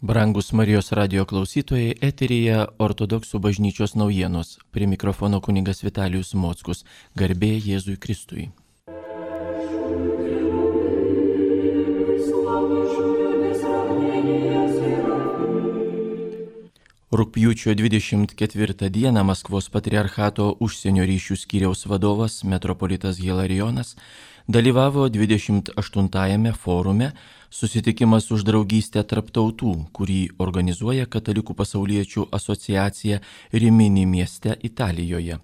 Brangus Marijos radio klausytojai, eteryje Ortodoksų bažnyčios naujienos. Prie mikrofono kunigas Vitalijus Mockus. Garbė Jėzui Kristui. Rugpjūčio 24 dieną Maskvos patriarchato užsienio ryšių skyriaus vadovas metropolitas Hilarijonas dalyvavo 28-ame forume Susitikimas už draugystę tarp tautų, kurį organizuoja Katalikų pasauliečių asociacija Rimini mieste Italijoje.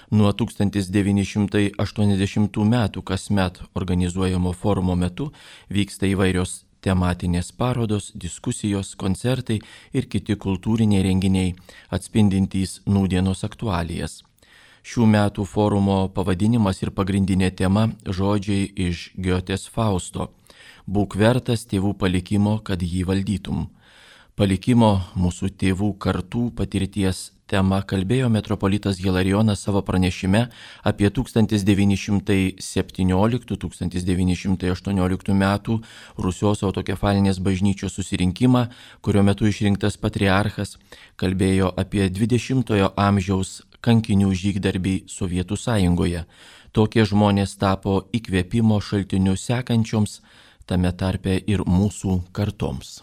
Nuo 1980 metų kasmet organizuojamo forumo metu vyksta įvairios tematinės parodos, diskusijos, koncertai ir kiti kultūriniai renginiai, atspindintys nūdienos aktualijas. Šių metų forumo pavadinimas ir pagrindinė tema žodžiai iš Giotės Fausto. Būk vertas tėvų palikimo, kad jį valdytum. Palikimo mūsų tėvų kartų patirties tema kalbėjo metropolitas Hilarijonas savo pranešime apie 1917-1918 metų Rusios autokefalinės bažnyčios susirinkimą, kurio metu išrinktas patriarchas, kalbėjo apie 20-ojo amžiaus kankinių žygdarbį Sovietų sąjungoje. Tokie žmonės tapo įkvėpimo šaltiniu sekančioms, tame tarpe ir mūsų kartoms.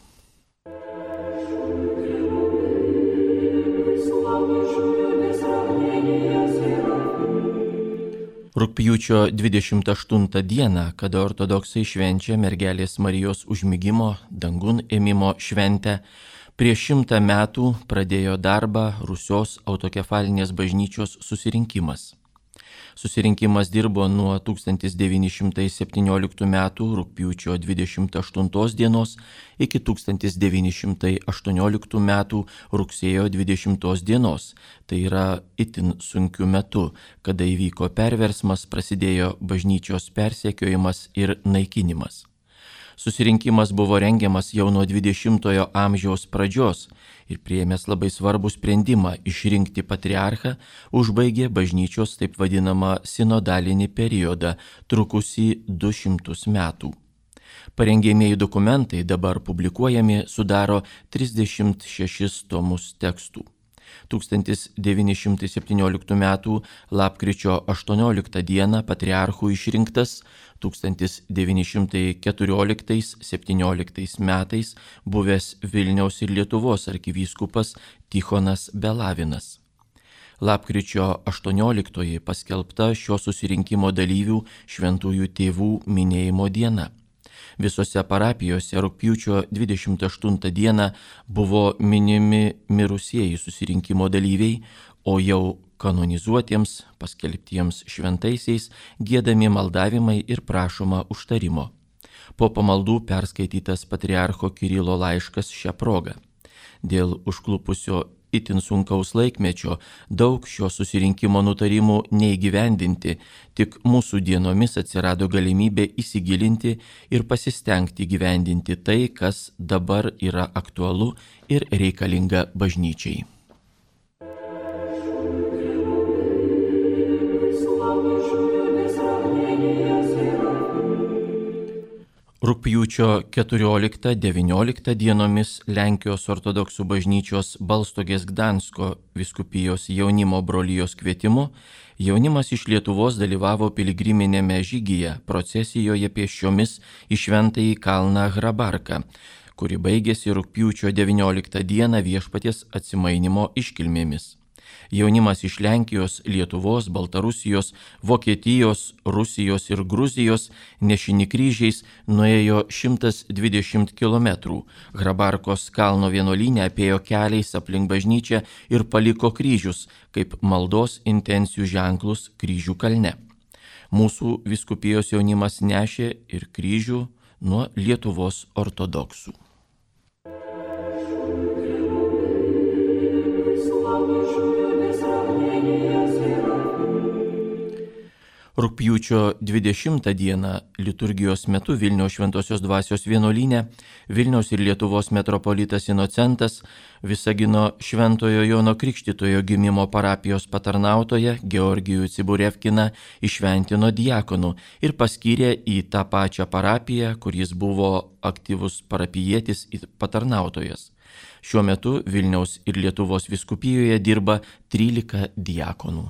Rugpjūčio 28 dieną, kada ortodoksai švenčia mergelės Marijos užmigimo dangun ėmimo šventę, prieš 100 metų pradėjo darbą Rusios autokefalinės bažnyčios susirinkimas. Susirinkimas dirbo nuo 1917 metų rugpjūčio 28 dienos iki 1918 metų rugsėjo 20 dienos. Tai yra itin sunkiu metu, kada įvyko perversmas, prasidėjo bažnyčios persekiojimas ir naikinimas. Susirinkimas buvo rengiamas jau nuo 20-ojo amžiaus pradžios ir priėmęs labai svarbų sprendimą išrinkti patriarchą, užbaigė bažnyčios taip vadinamą sinodalinį periodą, trukusį 200 metų. Parengiamieji dokumentai dabar publikuojami sudaro 36 tomus tekstų. 1917 m. lapkričio 18 d. patriarchu išrinktas 1914-17 metais buvęs Vilniaus ir Lietuvos arkivyskupas Tichonas Belavinas. Lapkričio 18 paskelbta šio susirinkimo dalyvių šventųjų tėvų minėjimo diena. Visose parapijose rugpjūčio 28 dieną buvo minimi mirusieji susirinkimo dalyviai, o jau kanonizuotiems, paskelbtiems šventaisiais giedami maldavimai ir prašoma užtarimo. Po pamaldų perskaitytas patriarcho Kirilo laiškas šią progą. Dėl užklupusio itin sunkaus laikmečio daug šio susirinkimo nutarimų neįgyvendinti, tik mūsų dienomis atsirado galimybė įsigilinti ir pasistengti gyvendinti tai, kas dabar yra aktualu ir reikalinga bažnyčiai. Rugpjūčio 14-19 dienomis Lenkijos ortodoksų bažnyčios Balstogės Gdansko vyskupijos jaunimo brolijos kvietimu jaunimas iš Lietuvos dalyvavo piligriminėme žygyje procesijoje pėsčiomis į šventąjį kalną Hrabarką, kuri baigėsi rugpjūčio 19 dieną Viešpaties atsimainymo iškilmėmis. Jaunimas iš Lenkijos, Lietuvos, Baltarusijos, Vokietijos, Rusijos ir Gruzijos nešini kryžiais nuėjo 120 km. Hrabarkos kalno vienuolyne apėjo keliais aplink bažnyčią ir paliko kryžius, kaip maldos intencijų ženklus kryžių kalne. Mūsų vyskupijos jaunimas nešė ir kryžių nuo Lietuvos ortodoksų. Rugpjūčio 20 dieną liturgijos metu Vilniaus Šventosios Dvasios vienuolyne Vilniaus ir Lietuvos metropolitas Inocentas Visagino Šventojo Jono Krikštytojo gimimo parapijos patarnautoją Georgijų Ciburevkiną įšventino diakonu ir paskyrė į tą pačią parapiją, kur jis buvo aktyvus parapijietis ir patarnautojas. Šiuo metu Vilniaus ir Lietuvos vyskupijoje dirba 13 diakonų.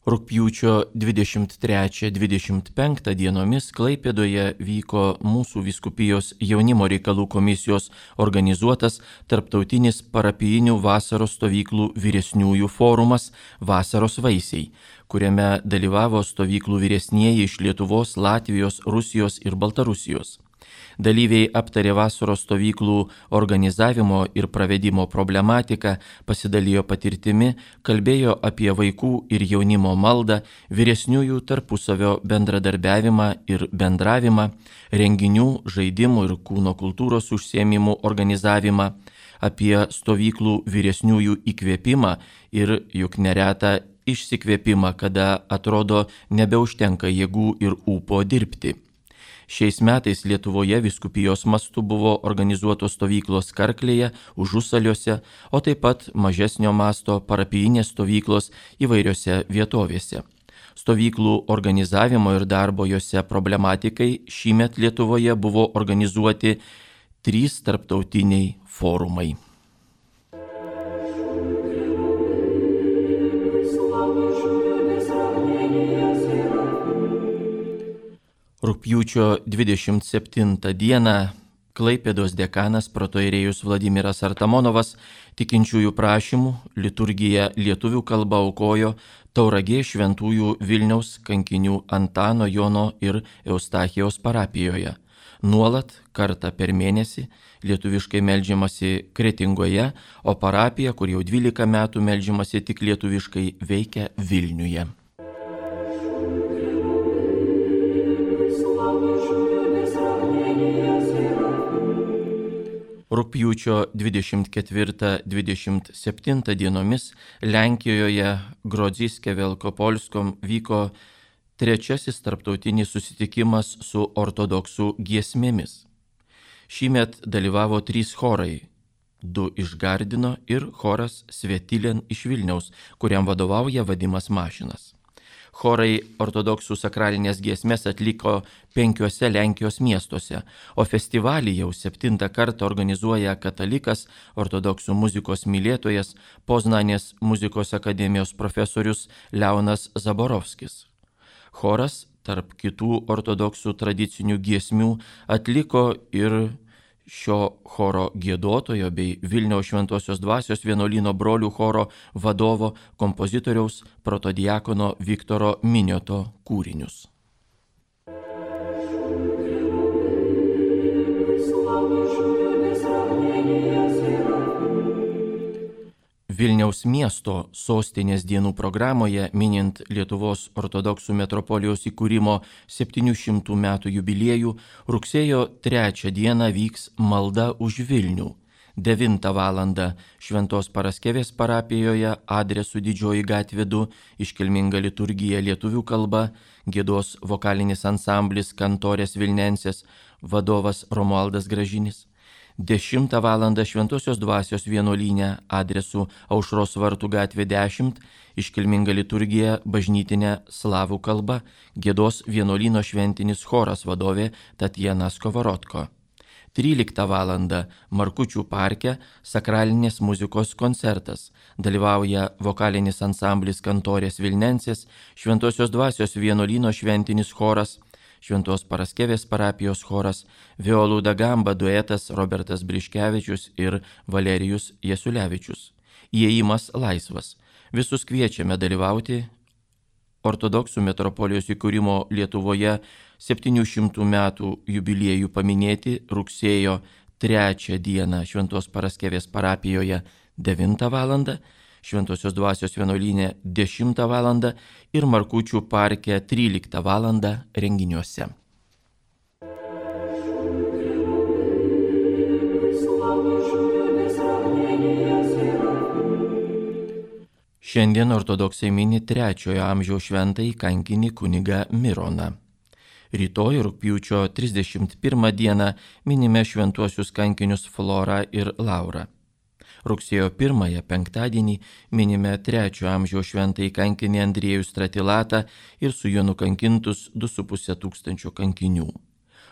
Rugpjūčio 23-25 dienomis Klaipėdoje vyko mūsų vyskupijos jaunimo reikalų komisijos organizuotas tarptautinis parapijinių vasaros stovyklų vyresniųjų forumas Vasaros vaisiai, kuriame dalyvavo stovyklų vyresnieji iš Lietuvos, Latvijos, Rusijos ir Baltarusijos. Dalyviai aptarė vasaros stovyklų organizavimo ir pravedimo problematiką, pasidalijo patirtimi, kalbėjo apie vaikų ir jaunimo maldą, vyresniųjų tarpusavio bendradarbiavimą ir bendravimą, renginių, žaidimų ir kūno kultūros užsiėmimų organizavimą, apie stovyklų vyresniųjų įkvėpimą ir juk neretą išsikvėpimą, kada atrodo nebeužtenka jėgų ir ūpo dirbti. Šiais metais Lietuvoje vyskupijos mastu buvo organizuotos stovyklos Karklėje, Užusaliuose, o taip pat mažesnio masto parapijinės stovyklos įvairiose vietovėse. Stovyklų organizavimo ir darbo jose problematikai šįmet Lietuvoje buvo organizuoti 3 tarptautiniai forumai. Rugpjūčio 27 dieną Klaipėdos dekanas protoirėjus Vladimiras Artamonovas tikinčiųjų prašymų liturgiją lietuvių kalba aukojo Tauragės šventųjų Vilniaus kankinių Antano, Jono ir Eustachijaus parapijoje. Nuolat kartą per mėnesį lietuviškai meldžiamasi Kretingoje, o parapija, kur jau 12 metų meldžiamasi tik lietuviškai, veikia Vilniuje. Rugpjūčio 24-27 dienomis Lenkijoje Grodziske Velkopolskom vyko 3. tarptautinis susitikimas su ortodoksų giesmėmis. Šįmet dalyvavo 3 chorai, 2 iš Gardino ir choras Svetilen iš Vilniaus, kuriam vadovauja Vadimas Mašinas. Chorai ortodoksų sakralinės giesmės atliko 5 Lenkijos miestuose, o festivalį jau 7 kartą organizuoja katalikas, ortodoksų muzikos mylėtojas, Poznanės muzikos akademijos profesorius Leonas Zaborovskis. Choras, tarp kitų ortodoksų tradicinių giesmių, atliko ir šio choro giedotojo bei Vilniaus Šventosios Dvasios vienuolyno brolių choro vadovo kompozitoriaus protodiakono Viktoro Minioto kūrinius. Vilniaus miesto sostinės dienų programoje, minint Lietuvos ortodoksų metropolijos įkūrimo 700 metų jubiliejų, rugsėjo 3 dieną vyks malda už Vilnių. 9 val. Šventos Paraskevės parapijoje adresu Didžioji gatvė 2, iškilminga liturgija lietuvių kalba, giedos vokalinis ansamblis Kantorės Vilnensės, vadovas Romualdas Gražinis. 10 val. Šventosios Dvasios vienuolyne adresu Aušros vartų gatvė 10, iškilminga liturgija bažnytinė slavų kalba, giedos vienuolyno šventinis choras vadovė Tatjana Skovorotko. 13 val. Markučių parke sakralinės muzikos koncertas. Dalyvauja vokalinis ansamblis Kantorės Vilnensės, Šventosios Dvasios vienuolyno šventinis choras, Šventos Paraskevės parapijos choras, Violų da Gamba duetas Robertas Briškevičius ir Valerijus Jasulevičius. Įėjimas laisvas. Visus kviečiame dalyvauti ortodoksų metropolijos įkūrimo Lietuvoje 700 metų jubiliejų paminėti rugsėjo 3 dieną Šventos Paraskevės parapijoje 9 val. Šventosios Dvasios vienuolyne 10 val. Ir Markučių parke 13 val. Renginiuose. Šiandien ortodoksai mini 3 amžiaus šventąjį kankinį kunigą Mironą. Rytoj rugpjūčio 31 dieną minime šventuosius kankinius Florą ir Laurą. Rugsėjo 1 penktadienį minime 3 amžiaus šventąjį kankinį Andriejų Stratilatą ir su juo nukankintus 2,5 tūkstančio kankinių.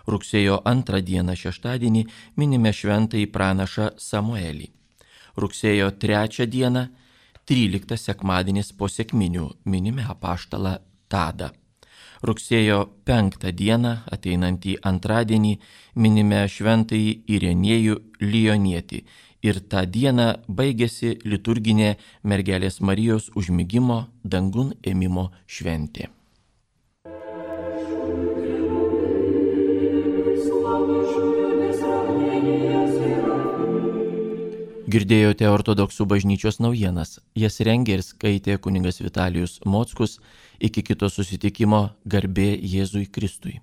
Rugsėjo 2 dieną šeštadienį minime šventąjį pranašą Samuelį. Rugsėjo 3 dieną 13 sekmadienis po sekminių minime apaštalą Tadą. Rugsėjo 5 dieną, ateinantį antradienį, minime šventąjį Irenėjų Lionietį ir tą dieną baigėsi liturginė mergelės Marijos užmigimo dangun ėmimo šventė. Girdėjote ortodoksų bažnyčios naujienas. Jas rengė ir skaitė kunigas Vitalijus Mockus. Iki kito susitikimo, garbė Jėzui Kristui.